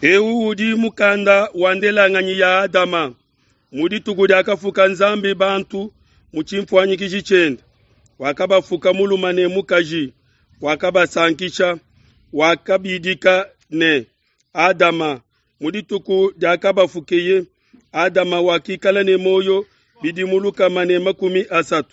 Eu udi mukanda wa ndelanganyi ya Adama. Mu dituku diakafuka Nzambi bantu mu tshimfuanyikiji tshiende, wakabafuka mulume ne mukaji, wakabasankisha, wakabidika ne Adama. Mu dituku diakabafukeye, Adama wakikala ne muoyo bidimu 130,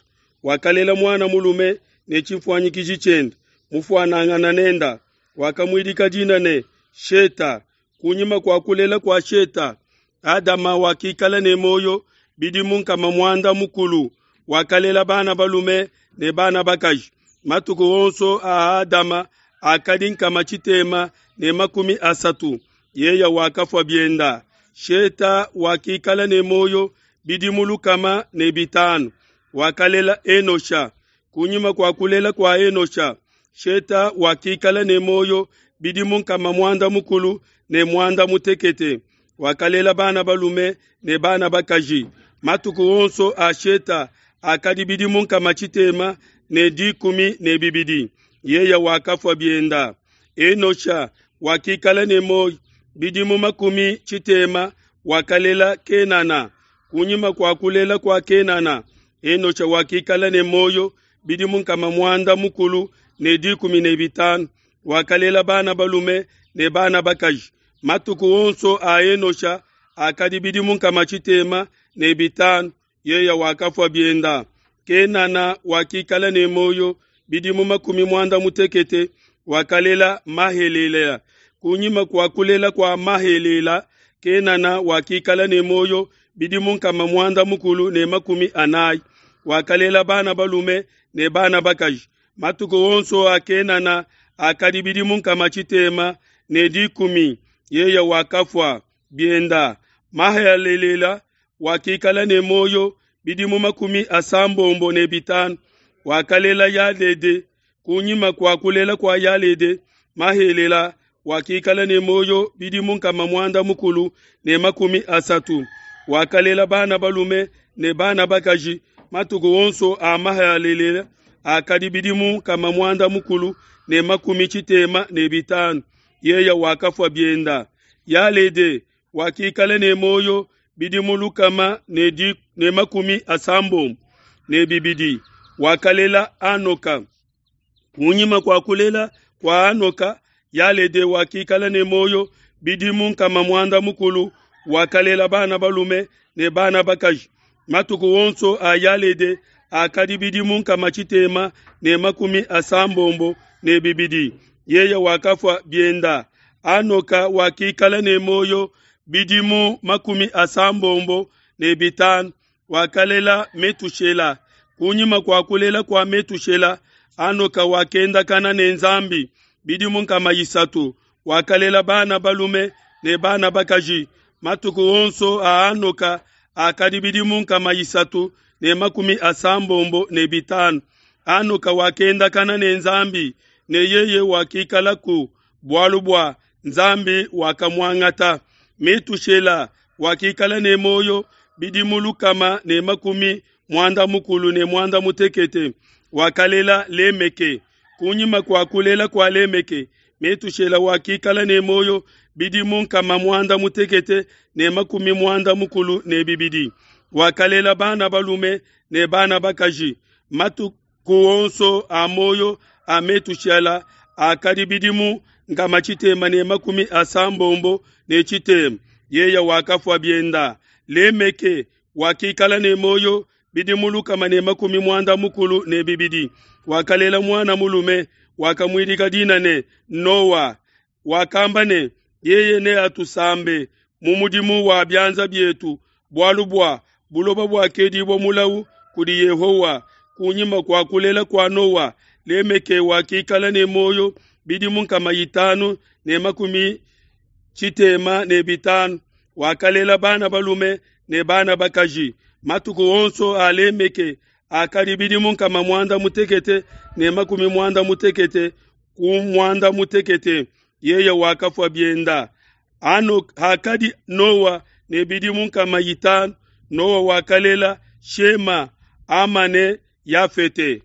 wakalela muana mulume ne tshimfuanyikiji tshiende, mufuanangana nenda, wakamuidika dina ne Sheta. Kunyima kua kulela kua Sheta, Adama wakikala ne muoyo bidimu 90, wakalela bana balume ne bana bakaji. Matuku onso a Adama akadi 630, yeya wakafua bienda. Sheta wakikala ne muoyo bidimu 105, wakalela Enosha. Kunyima kua kulela kua Enosha, Sheta wakikala ne muoyo bidimu 960, wakalela bana balume ne bana bakaji. Matuku onso a Sheta akadi bidimu 612, yeya wakafua bienda. Enosha wakikala ne muoyo bidimu 60, wakalela Kenana. Kunyima kua kulela kua Kenana, Enosha wakikala ne muoyo bidimu 915, wakalela bana balume ne bana bakaji. Matuku onso a Enosha akadi bidimu 605, yeya wakafua bienda. Kenana wakikala ne muoyo bidimu 60, wakalela Mahelela. Kunyima kua kulela kua Mahelela, Kenana wakikala ne muoyo bidimu 940, wakalela bana balume ne bana bakaji. Matuku onso a Kenana akadi bidimu 610, yeya wakafua bienda. Mahelela wakikala ne muoyo bidimu 95, wakalela Yalede. Kunyima kua kulela kua Yalede, Mahelela wakikala ne muoyo bidimu 930, wakalela bana balume ne bana bakaji. Matuku onso a Mahelela akadi bidimu 965, yeya wakafua bienda. Yalede wakikala ne muoyo bidimu 192, wakalela Anoka. Kunyima kua kulela kua Anoka, Yalede wakikala ne muoyo bidimu 900, wakalela bana balume ne bana bakaji. Matuku onso a Yalede akadi bidimu 692, yeya wakafua bienda. Anoka wakikala ne muoyo bidimu 75, wakalela Metushela. Kunyima kua kulela kua Metushela, Anoka wakendakana ne Nzambi bidimu 300, wakalela bana balume ne bana bakaji. Matuku onso a Anoka akadi bidimu 395. Anoka wakendakana ne Nzambi, ne yeye wakikalaku bualu bua Nzambi wakamuangata. Metushela wakikala ne muoyo bidimu 198, wakalela Lemeke. Kunyima kua kulela kua Lemeke, Metushela wakikala ne muoyo bidimu 962, wakalela bana balume ne bana bakaji. Matuku onso a muoyo a Metushela akadi bidimu 660, yeya wakafua bienda. Lemeke wakikala ne muoyo bidimu 192, wakalela muana mulume, wakamuidika dina ne Noa. Wakamba ne, yeye neatusambe mu mudimu wa bianza bietu, bualu bua buloba buakedibua mulawu kudi Yehowa. Kunyima kua kulela kua Noa, Lemeke wakikala ne muoyo bidimu 565, wakalela bana balume ne bana bakaji. Matuku onso a Lemeke akadi bidimu 969, yeye wakafua bienda. Hakadi Noa ne bidimu 500, Noa wakalela Shema, Amane, Yafete.